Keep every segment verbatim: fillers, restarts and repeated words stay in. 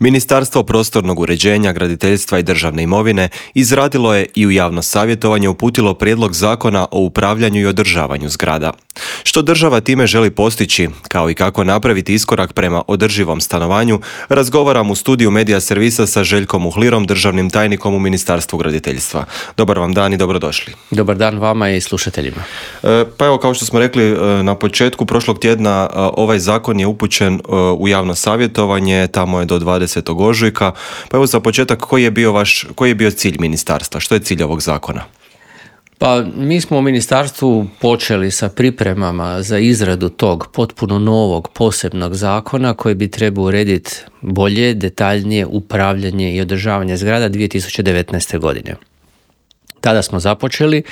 Ministarstvo prostornog uređenja, graditeljstva i državne imovine izradilo je i u javno savjetovanje uputilo prijedlog zakona o upravljanju i održavanju zgrada. Što država time želi postići, kao i kako napraviti iskorak prema održivom stanovanju, razgovaram u studiju Medija servisa sa Željkom Uhlirom, državnim tajnikom u Ministarstvu graditeljstva. Dobar vam dan i dobrodošli. Dobar dan vama i slušateljima. E, pa evo, kao što smo rekli na početku prošlog tjedna, ovaj zakon je upućen u javno savjetovanje, tamo je do dvadesetog ožujka. Pa evo za početak, koji je bio vaš, koji je bio cilj ministarstva? Što je cilj ovog zakona? Pa mi smo u ministarstvu počeli sa pripremama za izradu tog potpuno novog posebnog zakona koji bi trebao urediti bolje, detaljnije upravljanje i održavanje zgrada dvije tisuće devetnaeste. godine. Tada smo započeli,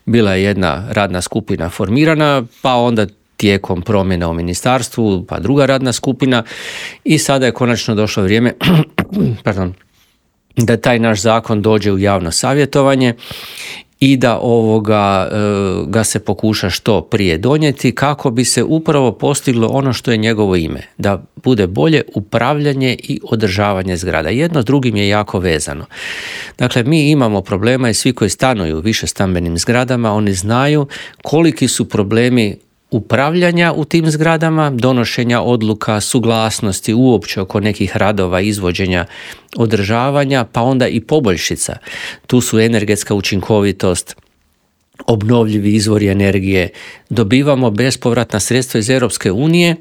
bila je jedna radna skupina formirana, pa onda tijekom promjena u ministarstvu, pa druga radna skupina i sada je konačno došlo vrijeme pardon, da taj naš zakon dođe u javno savjetovanje i da ovoga ga se pokuša što prije donijeti kako bi se upravo postiglo ono što je njegovo ime, da bude bolje upravljanje i održavanje zgrada. Jedno s drugim je jako vezano. Dakle, mi imamo problema i svi koji stanuju u višestambenim zgradama, oni znaju koliki su problemi upravljanja u tim zgradama, donošenja odluka, suglasnosti uopće oko nekih radova, izvođenja, održavanja, pa onda i poboljšica. Tu su energetska učinkovitost, obnovljivi izvori energije, dobivamo bespovratna sredstva iz Europske unije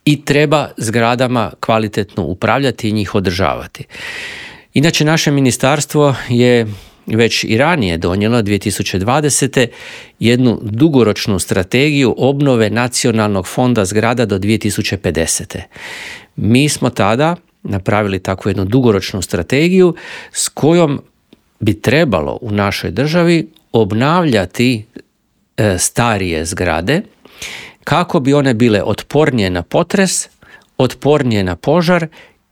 i treba zgradama kvalitetno upravljati i njih održavati. Inače, naše ministarstvo je već i ranije donijelo dvije tisuće dvadesete. jednu dugoročnu strategiju obnove nacionalnog fonda zgrada do dvije tisuće pedesete. Mi smo tada napravili takvu jednu dugoročnu strategiju s kojom bi trebalo u našoj državi obnavljati e, starije zgrade kako bi one bile otpornije na potres, otpornije na požar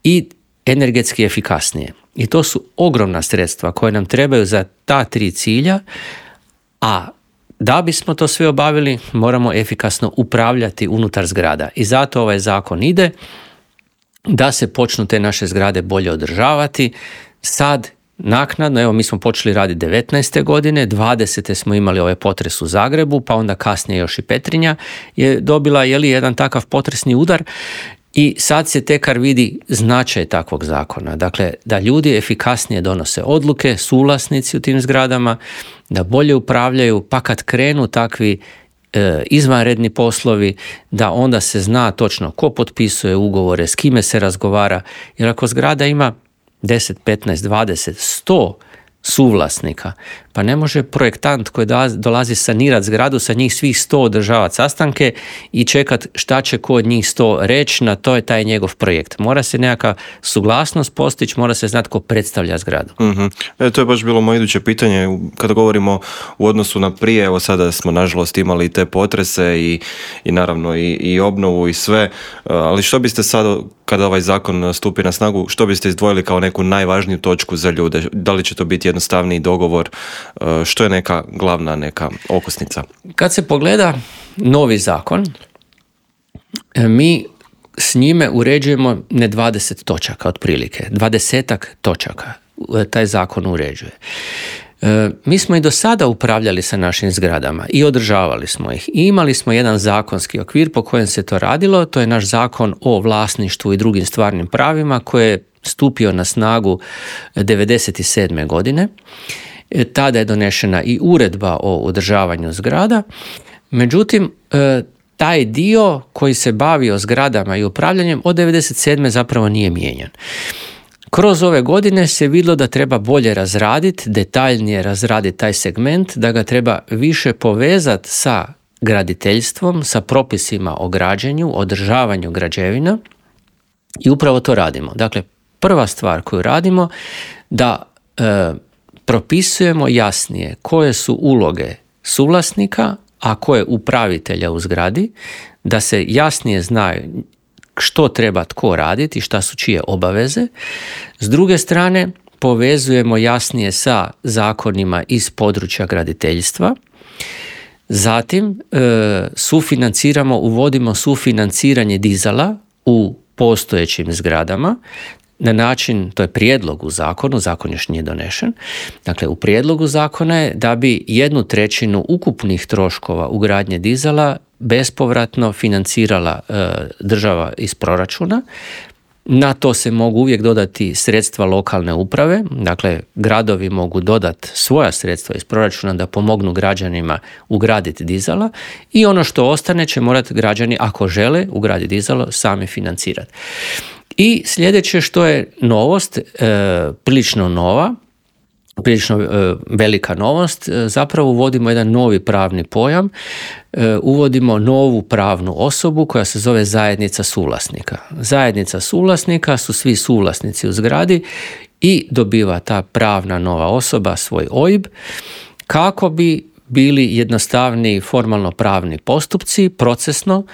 i energetski efikasnije. I to su ogromna sredstva koje nam trebaju za ta tri cilja, a da bismo to sve obavili, moramo efikasno upravljati unutar zgrada. I zato ovaj zakon ide da se počnu te naše zgrade bolje održavati. Sad, naknadno, evo mi smo počeli raditi devetnaeste. godine, dvadesete smo imali ovaj potres u Zagrebu, pa onda kasnije još i Petrinja je dobila je li, jedan takav potresni udar. I sad se tekar vidi značaj takvog zakona. Dakle, da ljudi efikasnije donose odluke, suvlasnici u tim zgradama, da bolje upravljaju, pa kad krenu takvi e, izvanredni poslovi, da onda se zna točno ko potpisuje ugovore, s kime se razgovara. Jer ako zgrada ima deset, petnaest, dvadeset, sto suvlasnika, pa ne može projektant koji dolazi sanirati zgradu sa njih svih sto održavati sastanke i čekat šta će ko od njih sto reći, na to je taj njegov projekt. Mora se nekakva suglasnost postići, mora se znati ko predstavlja zgradu. Mm-hmm. E, to je baš bilo moje iduće pitanje. Kada govorimo u odnosu na prije, evo sada smo nažalost imali te potrese i, i naravno i, i obnovu i sve, ali što biste sad, kada ovaj zakon stupi na snagu, što biste izdvojili kao neku najvažniju točku za ljude? Da li će to biti jednostavniji dogovor? Što je neka glavna neka okosnica? Kad se pogleda novi zakon, mi s njime uređujemo ne dvadeset točaka otprilike, dvadesetak točaka taj zakon uređuje. Mi smo i do sada upravljali sa našim zgradama i održavali smo ih. I imali smo jedan zakonski okvir po kojem se to radilo, to je naš zakon o vlasništvu i drugim stvarnim pravima koji je stupio na snagu devedeset sedme. godine. Tada je donešena i uredba o održavanju zgrada. Međutim, taj dio koji se bavio zgradama i upravljanjem od devedeset sedme. zapravo nije mijenjan. Kroz ove godine se vidjelo da treba bolje razraditi, detaljnije razraditi taj segment, da ga treba više povezati sa graditeljstvom, sa propisima o građenju, održavanju građevina i upravo to radimo. Dakle, prva stvar koju radimo da e, propisujemo jasnije koje su uloge suvlasnika, a koje upravitelja u zgradi, da se jasnije zna što treba tko raditi i šta su čije obaveze. S druge strane, povezujemo jasnije sa zakonima iz područja graditeljstva. Zatim, e, sufinanciramo, uvodimo sufinanciranje dizala u postojećim zgradama. na način, to je prijedlog u zakonu, zakon još nije donešen, dakle u prijedlogu zakona je da bi jednu trećinu ukupnih troškova ugradnje dizala bespovratno financirala e, država iz proračuna. Na to se mogu uvijek dodati sredstva lokalne uprave, dakle gradovi mogu dodati svoja sredstva iz proračuna da pomognu građanima ugraditi dizala i ono što ostane će morati građani, ako žele ugraditi dizalo, sami financirati. I sljedeće što je novost, e, prilično nova, prilično e, velika novost, e, zapravo uvodimo jedan novi pravni pojam, e, uvodimo novu pravnu osobu koja se zove zajednica suvlasnika. Zajednica suvlasnika su svi suvlasnici u zgradi i dobiva ta pravna nova osoba svoj O I B kako bi bili jednostavniji formalno pravni postupci, procesno,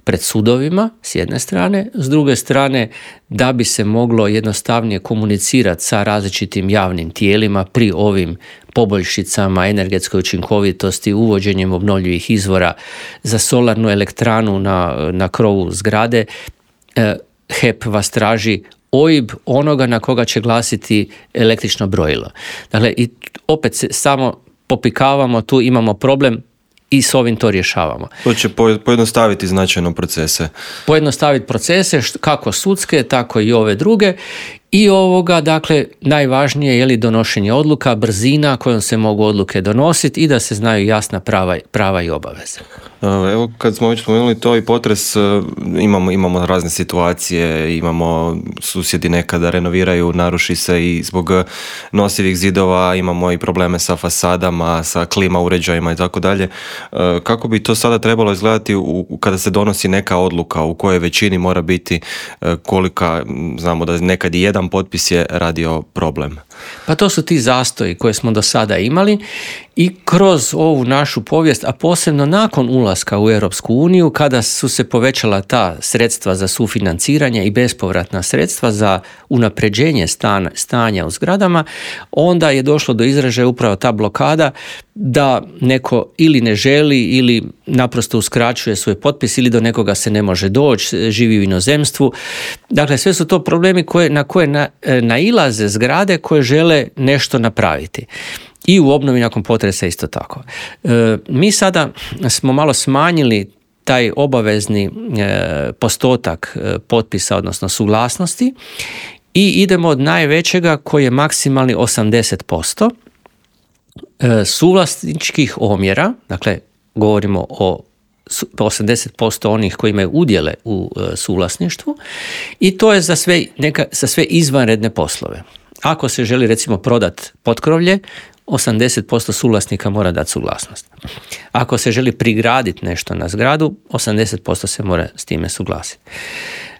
pred sudovima s jedne strane, s druge strane da bi se moglo jednostavnije komunicirati sa različitim javnim tijelima pri ovim poboljšicama energetskoj učinkovitosti, uvođenjem obnovljivih izvora za solarnu elektranu na, na krovu zgrade. E, H E P vas traži O I B onoga na koga će glasiti električno brojilo. Dakle, i opet se samo popikavamo, tu imamo problem i s ovim to rješavamo. To će pojednostaviti značajno procese. Pojednostaviti procese, kako sudske, tako i ove druge. I ovoga, dakle, najvažnije je li donošenje odluka, brzina kojom se mogu odluke donositi i da se znaju jasna prava, prava i obaveze. Evo, kad smo već spomenuli to i potres, imamo, imamo razne situacije, imamo susjedi nekada renoviraju, naruši se i zbog nosivih zidova, imamo i probleme sa fasadama, sa klima uređajima i tako dalje. Kako bi to sada trebalo izgledati u, kada se donosi neka odluka, u kojoj većini mora biti kolika, znamo da nekad i jedan potpis je radio problem? Pa to su ti zastoji koje smo do sada imali i kroz ovu našu povijest, a posebno nakon ulaska u Europsku uniju, kada su se povećala ta sredstva za sufinanciranje i bespovratna sredstva za unapređenje stan, stanja u zgradama, onda je došlo do izražaja upravo ta blokada da neko ili ne želi ili naprosto uskraćuje svoj potpis ili do nekoga se ne može doći, živi u inozemstvu. Dakle, sve su to problemi koje, na koje na, nailaze zgrade koje žele nešto napraviti. I u obnovi nakon potresa isto tako. E, mi sada smo malo smanjili taj obavezni e, postotak e, potpisa, odnosno suglasnosti i idemo od najvećega koji je maksimalni osamdeset posto e, suvlasničkih omjera, dakle govorimo o osamdeset posto onih koji imaju udjele u e, suvlasništvu i to je za sve, neka, za sve izvanredne poslove. Ako se želi recimo prodati potkrovlje, osamdeset posto suvlasnika mora dati suglasnost. Ako se želi prigraditi nešto na zgradu, osamdeset posto se mora s time suglasiti.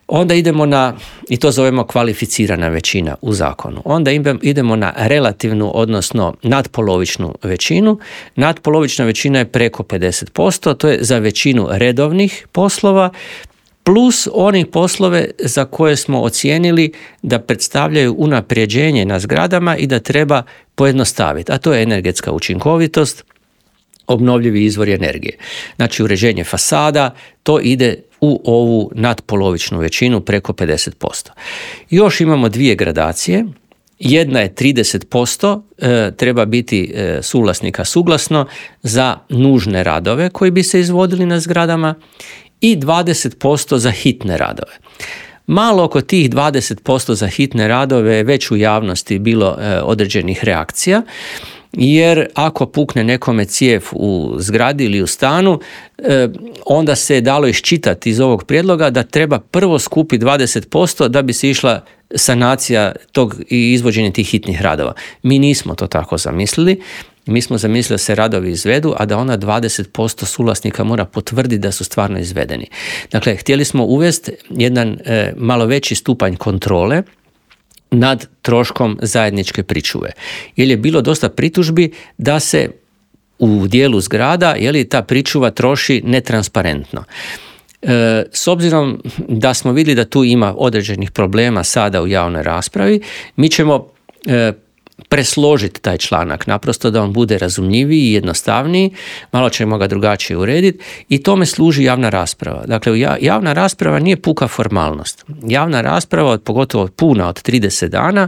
Onda idemo na, i to zovemo kvalificirana većina u zakonu, onda idemo na relativnu, odnosno nadpolovičnu većinu. Nadpolovična većina je preko pedeset posto, to je za većinu redovnih poslova, plus onih poslove za koje smo ocijenili da predstavljaju unapređenje na zgradama i da treba pojednostaviti, a to je energetska učinkovitost, obnovljivi izvori energije. Znači uređenje fasada, to ide u ovu nadpolovičnu većinu preko pedeset posto. Još imamo dvije gradacije. Jedna je trideset posto e, treba biti e, suvlasnika suglasno za nužne radove koji bi se izvodili na zgradama i dvadeset posto za hitne radove. Malo oko tih dvadeset posto za hitne radove je već u javnosti bilo e, određenih reakcija, jer ako pukne nekome cijev u zgradi ili u stanu, e, onda se je dalo iščitati iz ovog prijedloga da treba prvo skupiti dvadeset posto da bi se išla sanacija tog i izvođenje tih hitnih radova. Mi nismo to tako zamislili. Mi smo zamislili da se radovi izvedu, a da onda dvadeset posto suvlasnika mora potvrditi da su stvarno izvedeni. Dakle, htjeli smo uvesti jedan e, malo veći stupanj kontrole nad troškom zajedničke pričuve. Jer je bilo dosta pritužbi da se u dijelu zgrada, je li, ta pričuva troši netransparentno. E, s obzirom da smo vidjeli da tu ima određenih problema sada u javnoj raspravi, mi ćemo e, presložiti taj članak, naprosto da on bude razumljiviji i jednostavniji, malo ćemo ga drugačije urediti i tome služi javna rasprava. Dakle, javna rasprava nije puka formalnost. Javna rasprava, pogotovo puna od trideset dana,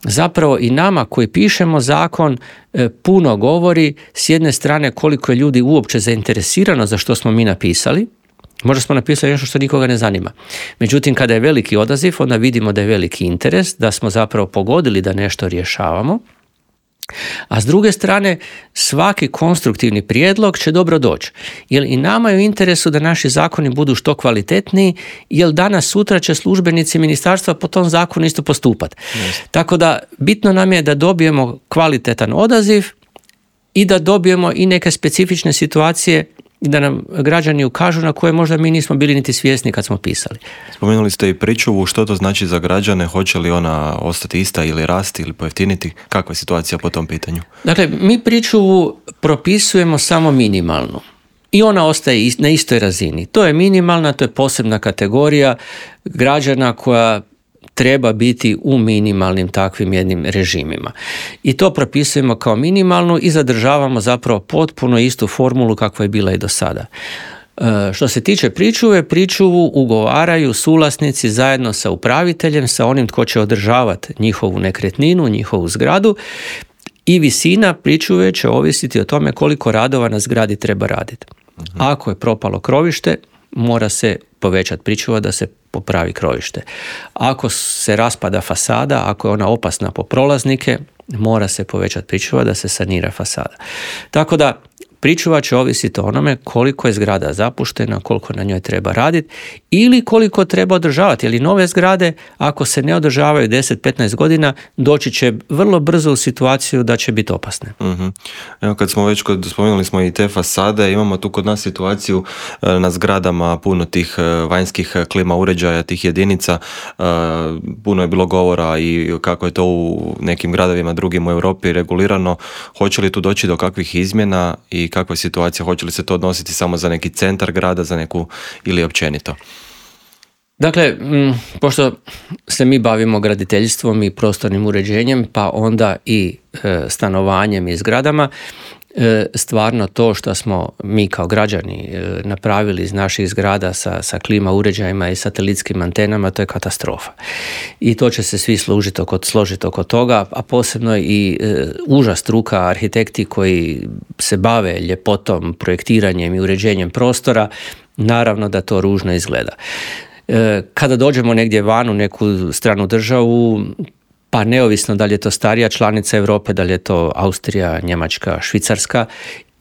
zapravo i nama koji pišemo zakon puno govori s jedne strane koliko je ljudi uopće zainteresirano za što smo mi napisali. Možda smo napisali nešto što nikoga ne zanima. Međutim, kada je veliki odaziv, onda vidimo da je veliki interes, da smo zapravo pogodili da nešto rješavamo. A s druge strane, svaki konstruktivni prijedlog će dobro doći. Jer i nama je u interesu da naši zakoni budu što kvalitetniji, jer danas sutra će službenici ministarstva po tom zakonu isto postupati. Yes. Tako da bitno nam je da dobijemo kvalitetan odaziv i da dobijemo i neke specifične situacije da nam građani ukažu na koje možda mi nismo bili niti svjesni kad smo pisali. Spomenuli ste i pričuvu, što to znači za građane, hoće li ona ostati ista ili rasti ili pojeftiniti? Kakva je situacija po tom pitanju? Dakle, mi pričuvu propisujemo samo minimalnu i ona ostaje na istoj razini. To je minimalna, to je posebna kategorija građana koja treba biti u minimalnim takvim jednim režimima. I to propisujemo kao minimalnu i zadržavamo zapravo potpuno istu formulu kakva je bila i do sada. E, što se tiče pričuve, pričuvu ugovaraju suvlasnici zajedno sa upraviteljem, sa onim tko će održavati njihovu nekretninu, njihovu zgradu, i visina pričuve će ovisiti o tome koliko radova na zgradi treba raditi. Mhm. Ako je propalo krovište, mora se povećati pričuva da se popravi krovište. Ako se raspada fasada, ako je ona opasna po prolaznike, mora se povećati pričuva da se sanira fasada. Tako da pričuva će ovisiti o onome koliko je zgrada zapuštena, koliko na njoj treba raditi ili koliko treba održavati. Jer i nove zgrade, ako se ne održavaju deset do petnaest godina, doći će vrlo brzo u situaciju da će biti opasne. Uh-huh. Evo, kad smo već kod, spomenuli smo i te fasade, imamo tu kod nas situaciju na zgradama puno tih vanjskih klima uređaja, tih jedinica. Puno je bilo govora i kako je to u nekim gradovima drugim u Europi regulirano. Hoće li tu doći do kakvih izmjena i kakva je situacija? Hoće li se to odnositi samo za neki centar grada, za neku ili općenito? Dakle, m, pošto se mi bavimo graditeljstvom i prostornim uređenjem, pa onda i e, stanovanjem i zgradama, e, stvarno to što smo mi kao građani e, napravili iz naših zgrada sa, sa klima uređajima i satelitskim antenama, to je katastrofa. I to će se svi služiti oko, složiti oko toga, a posebno i e, uža struka, arhitekti koji se bave ljepotom, projektiranjem i uređenjem prostora, naravno da to ružno izgleda. Kada dođemo negdje van u neku stranu državu, pa neovisno da li je to starija članica Europe, da li je to Austrija, Njemačka, Švicarska,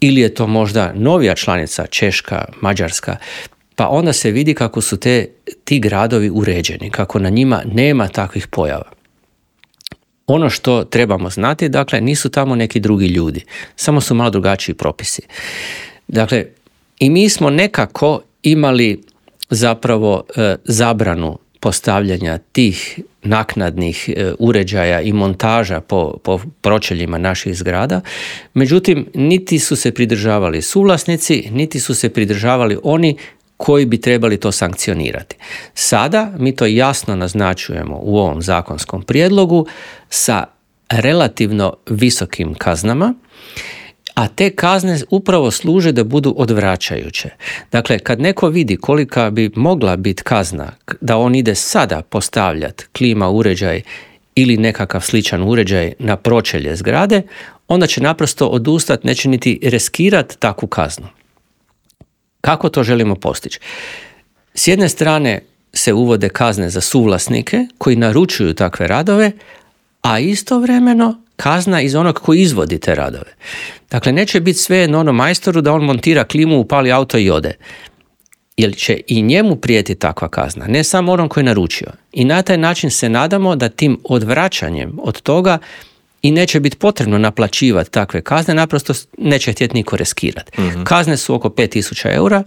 ili je to možda novija članica, Češka, Mađarska, pa onda se vidi kako su te, ti gradovi uređeni, kako na njima nema takvih pojava. Ono što trebamo znati, dakle, nisu tamo neki drugi ljudi, samo su malo drugačiji propisi. Dakle, i mi smo nekako imali zapravo e, zabranu postavljanja tih naknadnih e, uređaja i montaža po, po pročeljima naših zgrada, međutim niti su se pridržavali suvlasnici, niti su se pridržavali oni koji bi trebali to sankcionirati. Sada mi to jasno naznačujemo u ovom zakonskom prijedlogu sa relativno visokim kaznama, a te kazne upravo služe da budu odvraćajuće. Dakle, kad neko vidi kolika bi mogla biti kazna da on ide sada postavljati klima uređaj ili nekakav sličan uređaj na pročelje zgrade, onda će naprosto odustati, neće niti riskirati takvu kaznu. Kako to želimo postići? S jedne strane se uvode kazne za suvlasnike koji naručuju takve radove, a istovremeno kazna iz onog koji izvodi te radove. Dakle, neće biti svejedno onom majstoru da on montira klimu, upali auto i ode. Jer će i njemu prijeti takva kazna, ne samo onom koji je naručio. I na taj način se nadamo da tim odvraćanjem od toga i neće biti potrebno naplaćivati takve kazne, naprosto neće htjeti niko riskirati. Mm-hmm. Kazne su oko pet tisuća eura,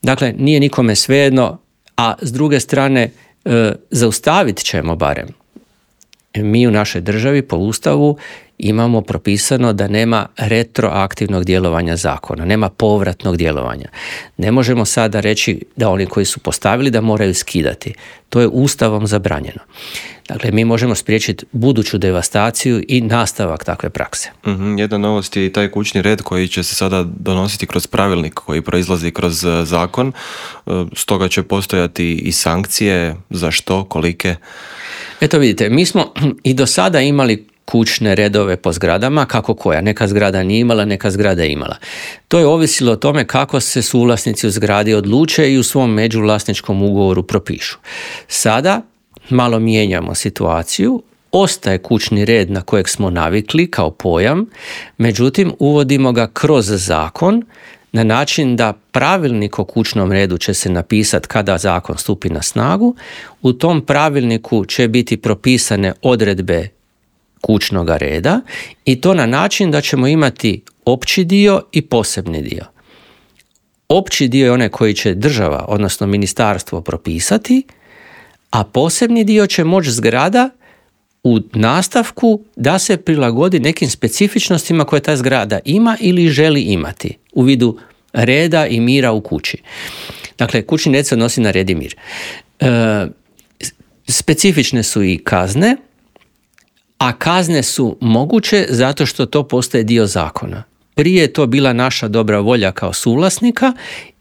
dakle nije nikome svejedno, a s druge strane e, zaustavit ćemo barem mi u našoj državi po Ustavu imamo propisano da nema retroaktivnog djelovanja zakona, nema povratnog djelovanja. Ne možemo sada reći da oni koji su postavili da moraju skidati. To je Ustavom zabranjeno. Dakle, mi možemo spriječiti buduću devastaciju i nastavak takve prakse. Mm-hmm. Jedna novost je i taj kućni red koji će se sada donositi kroz pravilnik koji proizlazi kroz zakon. Stoga će postojati i sankcije. Za što? Kolike? Eto vidite, mi smo i do sada imali kućne redove po zgradama, kako koja. Neka zgrada nije imala, neka zgrada je imala. To je ovisilo o tome kako se suvlasnici u zgradi odluče i u svom međuvlasničkom ugovoru propišu. Sada malo mijenjamo situaciju, ostaje kućni red na kojeg smo navikli kao pojam, međutim uvodimo ga kroz zakon na način da pravilnik o kućnom redu će se napisati kada zakon stupi na snagu. U tom pravilniku će biti propisane odredbe kućnog reda i to na način da ćemo imati opći dio i posebni dio. Opći dio je onaj koji će država, odnosno ministarstvo propisati, a posebni dio će moći zgrada u nastavku da se prilagodi nekim specifičnostima koje ta zgrada ima ili želi imati u vidu reda i mira u kući. Dakle, kućni red se odnosi na red i mir. E, specifične su i kazne, a kazne su moguće zato što to postaje dio zakona. Prije je to bila naša dobra volja kao suvlasnika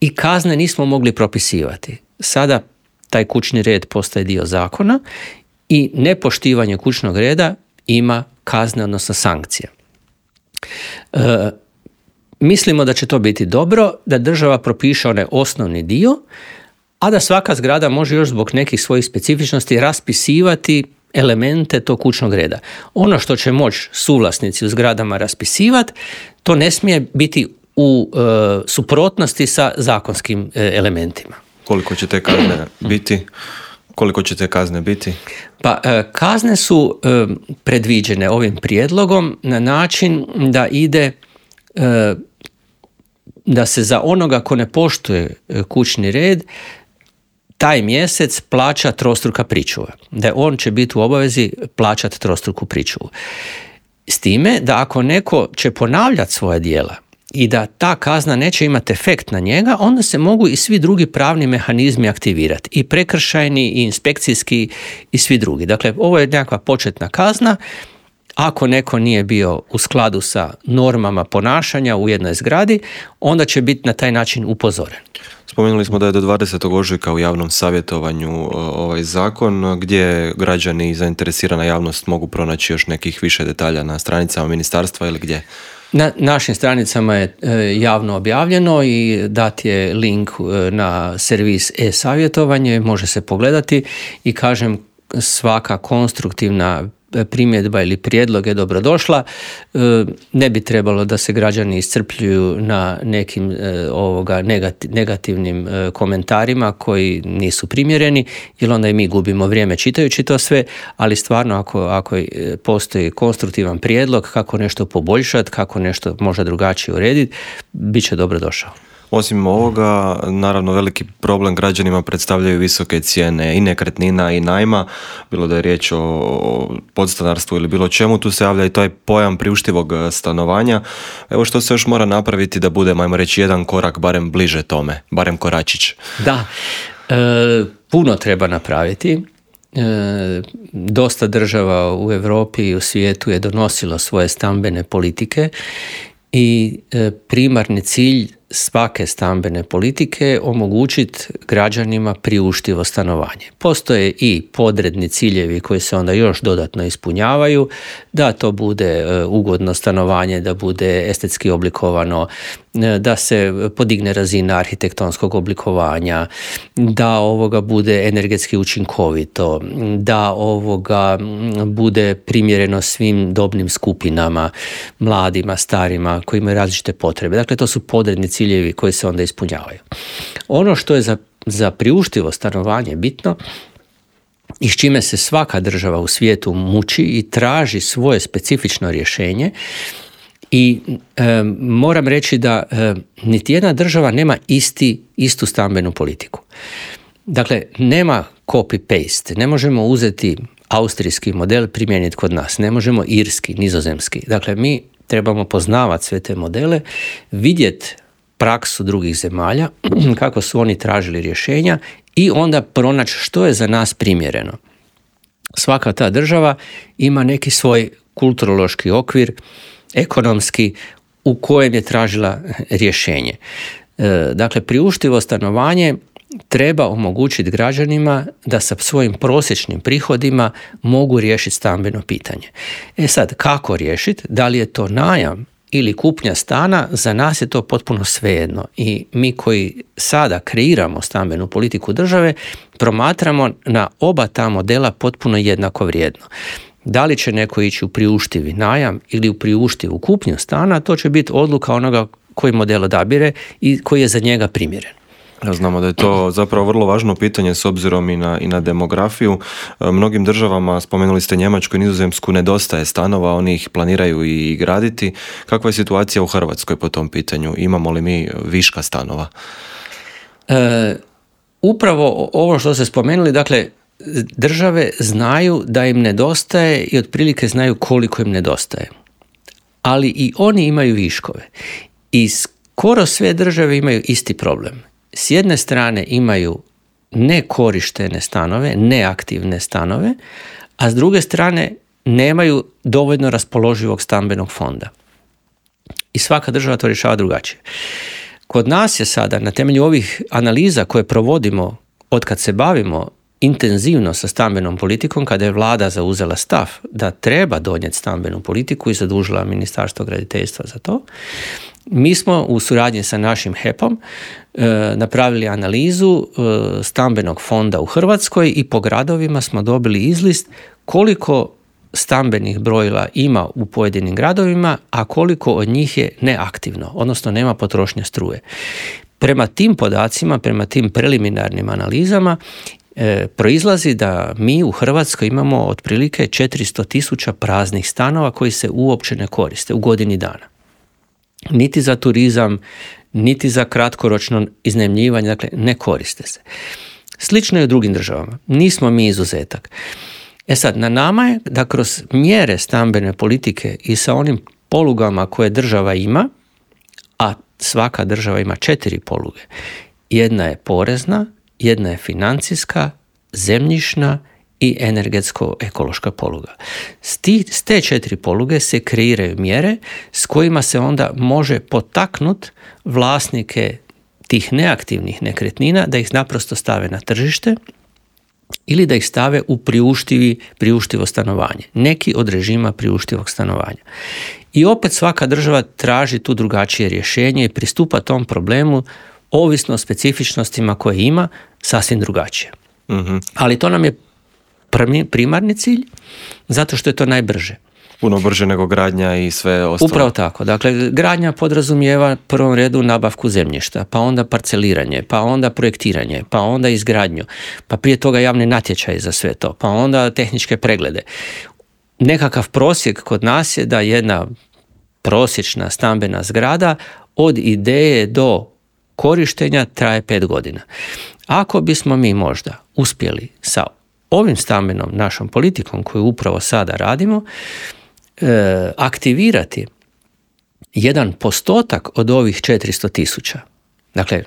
i kazne nismo mogli propisivati. Sada taj kućni red postaje dio zakona i nepoštivanje kućnog reda ima kazne, odnosno sankcije. E, mislimo da će to biti dobro, da država propiše onaj osnovni dio, a da svaka zgrada može još zbog nekih svojih specifičnosti raspisivati elemente tog kućnog reda. Ono što će moći suvlasnici u zgradama raspisivati, to ne smije biti u e, suprotnosti sa zakonskim e, elementima. Koliko će te kazne biti? Koliko će te kazne biti? Pa e, kazne su e, predviđene ovim prijedlogom na način da ide e, da se za onoga ko ne poštuje kućni red taj mjesec plaća trostruka pričuva. Da on će biti u obavezi plaćati trostruku pričuvu. S time da ako neko će ponavljati svoja djela i da ta kazna neće imati efekt na njega, onda se mogu i svi drugi pravni mehanizmi aktivirati. I prekršajni, i inspekcijski, i svi drugi. Dakle, ovo je nekakva početna kazna. Ako neko nije bio u skladu sa normama ponašanja u jednoj zgradi, onda će biti na taj način upozoren. Spomenuli smo da je do dvadesetog ožujka u javnom savjetovanju ovaj zakon, gdje građani i zainteresirana javnost mogu pronaći još nekih više detalja na stranicama ministarstva ili gdje? Na našim stranicama je javno objavljeno i dat je link na servis e-savjetovanje, može se pogledati i kažem svaka konstruktivna primjedba ili prijedlog je dobrodošla. Ne bi trebalo da se građani iscrpljuju na nekim ovoga negativnim komentarima koji nisu primjereni, jer onda i mi gubimo vrijeme čitajući to sve, ali stvarno ako, ako postoji konstruktivan prijedlog kako nešto poboljšati, kako nešto možda drugačije urediti, bit će dobrodošao. Osim ovoga, naravno veliki problem građanima predstavljaju visoke cijene i nekretnina i najma, bilo da je riječ o podstanarstvu ili bilo čemu, tu se javlja i taj pojam priuštivog stanovanja. Evo što se još mora napraviti da bude, ajmo reći, jedan korak barem bliže tome, barem koračić. Da, e, puno treba napraviti. E, dosta država u Europi i u svijetu je donosilo svoje stambene politike i e, primarni cilj svake stambene politike omogućiti građanima priuštivo stanovanje. Postoje i podredni ciljevi koji se onda još dodatno ispunjavaju, da to bude ugodno stanovanje, da bude estetski oblikovano, da se podigne razina arhitektonskog oblikovanja, da ovoga bude energetski učinkovito, da ovoga bude primjereno svim dobnim skupinama, mladima, starima, koji imaju različite potrebe. Dakle, to su podredni ciljevi koji se onda ispunjavaju. Ono što je za, za priuštivo stanovanje bitno i s čime se svaka država u svijetu muči i traži svoje specifično rješenje, i e, moram reći da e, niti jedna država nema isti, istu stambenu politiku. Dakle, nema copy-paste. Ne možemo uzeti austrijski model primijeniti kod nas, ne možemo irski, nizozemski. Dakle, mi trebamo poznavati sve te modele, vidjeti praksu drugih zemalja, kako su oni tražili rješenja i onda pronaći što je za nas primjereno. Svaka ta država ima neki svoj kulturološki okvir, ekonomski, u kojem je tražila rješenje. Dakle, priuštivo stanovanje treba omogućiti građanima da sa svojim prosječnim prihodima mogu riješiti stambeno pitanje. E sad, kako riješiti? Da li je to najam ili kupnja stana, za nas je to potpuno svejedno. I mi koji sada kreiramo stambenu politiku države, promatramo na oba ta modela potpuno jednako vrijedno. Da li će neko ići u priuštivi najam ili u priuštivu kupnju stana, to će biti odluka onoga koji model odabire i koji je za njega primjeren. Znamo da je to zapravo vrlo važno pitanje s obzirom i na, i na demografiju. Mnogim državama, spomenuli ste Njemačku i Nizozemsku, nedostaje stanova, oni ih planiraju i graditi. Kakva je situacija u Hrvatskoj po tom pitanju? Imamo li mi viška stanova? E, upravo ovo što ste spomenuli, dakle, države znaju da im nedostaje i otprilike znaju koliko im nedostaje. Ali i oni imaju viškove. I skoro sve države imaju isti problem. S jedne strane imaju nekorištene stanove, neaktivne stanove, a s druge strane nemaju dovoljno raspoloživog stambenog fonda. I svaka država to rješava drugačije. Kod nas je sada, na temelju ovih analiza koje provodimo od kad se bavimo intenzivno sa stambenom politikom, kada je vlada zauzela stav da treba donijeti stambenu politiku i zadužila Ministarstvo graditeljstva za to, mi smo u suradnji sa našim H E P-om e, napravili analizu e, stambenog fonda u Hrvatskoj i po gradovima smo dobili izlist koliko stambenih brojila ima u pojedinim gradovima, a koliko od njih je neaktivno, odnosno nema potrošnje struje. Prema tim podacima, prema tim preliminarnim analizama, e, proizlazi da mi u Hrvatskoj imamo otprilike četiristo tisuća praznih stanova koji se uopće ne koriste u godini dana. Niti za turizam, niti za kratkoročno iznajmljivanje, dakle ne koriste se. Slično je u drugim državama, nismo mi izuzetak. E sad, na nama je da kroz mjere stambene politike i sa onim polugama koje država ima, a svaka država ima četiri poluge, jedna je porezna, jedna je financijska, zemljišna i energetsko-ekološka poluga. S, ti, s te četiri poluge se kreiraju mjere s kojima se onda može potaknuti vlasnike tih neaktivnih nekretnina da ih naprosto stave na tržište ili da ih stave u priuštivi, priuštivo stanovanje. Neki od režima priuštivog stanovanja. I opet svaka država traži tu drugačije rješenje i pristupa tom problemu ovisno o specifičnostima koje ima, sasvim drugačije. Mm-hmm. Ali to nam je primarni cilj, zato što je to najbrže. Puno brže nego gradnja i sve ostalo. Upravo tako. Dakle, gradnja podrazumijeva u prvom redu nabavku zemljišta, pa onda parceliranje, pa onda projektiranje, pa onda izgradnju, pa prije toga javni natječaj za sve to, pa onda tehničke preglede. Nekakav prosjek kod nas je da jedna prosječna stambena zgrada od ideje do korištenja traje pet godina. Ako bismo mi možda uspjeli sa ovim stambenom našom politikom koju upravo sada radimo, e, aktivirati jedan postotak od ovih četiristo tisuća. Dakle,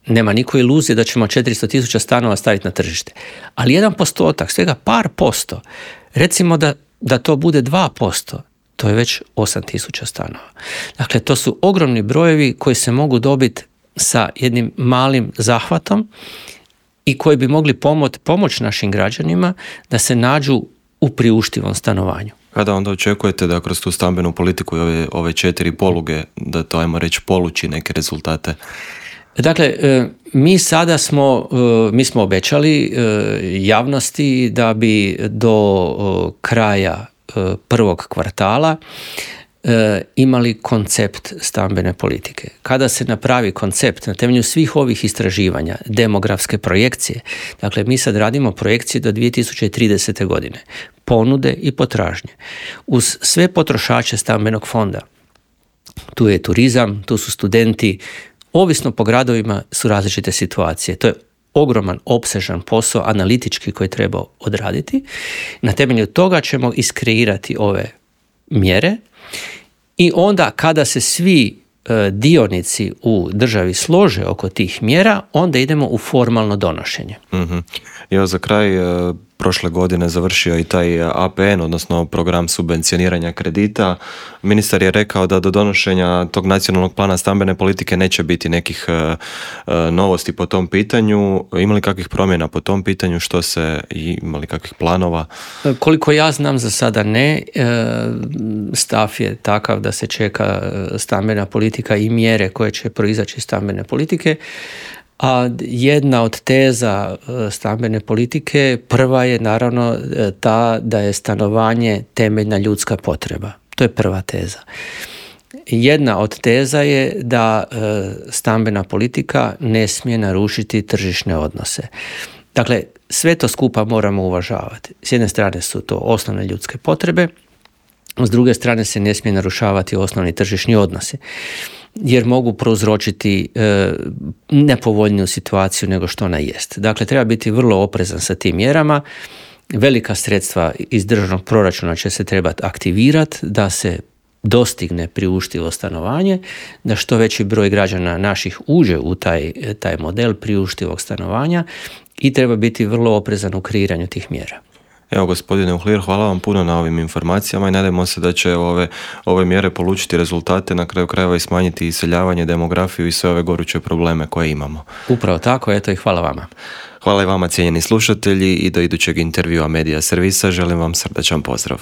nema niko iluzije da ćemo četiristo tisuća stanova staviti na tržište. Ali jedan postotak, svega par posto, recimo da, da to bude dva posto, to je već osam tisuća stanova. Dakle, to su ogromni brojevi koji se mogu dobiti sa jednim malim zahvatom i koji bi mogli pomoć, pomoć našim građanima da se nađu u priuštivom stanovanju. Kada onda očekujete da kroz tu stambenu politiku i ove, ove četiri poluge, da to ajmo reći poluči neke rezultate? Dakle, mi sada smo, mi smo obećali javnosti da bi do kraja prvog kvartala imali koncept stambene politike. Kada se napravi koncept na temelju svih ovih istraživanja, demografske projekcije, dakle mi sad radimo projekcije do dvije tisuće tridesete. godine, ponude i potražnje, uz sve potrošače stambenog fonda. Tu je turizam, tu su studenti, ovisno po gradovima su različite situacije. To je ogroman, opsežan posao analitički koji treba odraditi. Na temelju toga ćemo iskreirati ove mjere i onda kada se svi dionici u državi slože oko tih mjera, onda idemo u formalno donošenje. Mm-hmm. Evo za kraj, prošle godine završio i taj A P N, odnosno program subvencioniranja kredita. Ministar je rekao da do donošenja tog nacionalnog plana stambene politike neće biti nekih uh, novosti po tom pitanju. Ima li kakvih promjena po tom pitanju? Što se, ima li kakvih planova? Koliko ja znam, za sada ne. Stav je takav da se čeka stambena politika i mjere koje će proizaći iz stambene politike. A jedna od teza stambene politike, prva je naravno ta da je stanovanje temeljna ljudska potreba. To je prva teza. Jedna od teza je da stambena politika ne smije narušiti tržišne odnose. Dakle, sve to skupa moramo uvažavati. S jedne strane su to osnovne ljudske potrebe, s druge strane se ne smije narušavati osnovni tržišni odnosi, jer mogu prouzročiti e, nepovoljniju situaciju nego što ona jest. Dakle, treba biti vrlo oprezan sa tim mjerama. Velika sredstva iz državnog proračuna će se trebati aktivirati da se dostigne priuštivo stanovanje, da što veći broj građana naših uđe u taj, taj model priuštivog stanovanja i treba biti vrlo oprezan u kreiranju tih mjera. Evo, gospodine Uhlir, hvala vam puno na ovim informacijama i nadamo se da će ove, ove mjere polučiti rezultate, na kraju krajeva i smanjiti iseljavanje, demografiju i sve ove goruće probleme koje imamo. Upravo tako, eto i hvala vama. Hvala i vama, cijenjeni slušatelji, i do idućeg intervjua Medija Servisa želim vam srdačan pozdrav.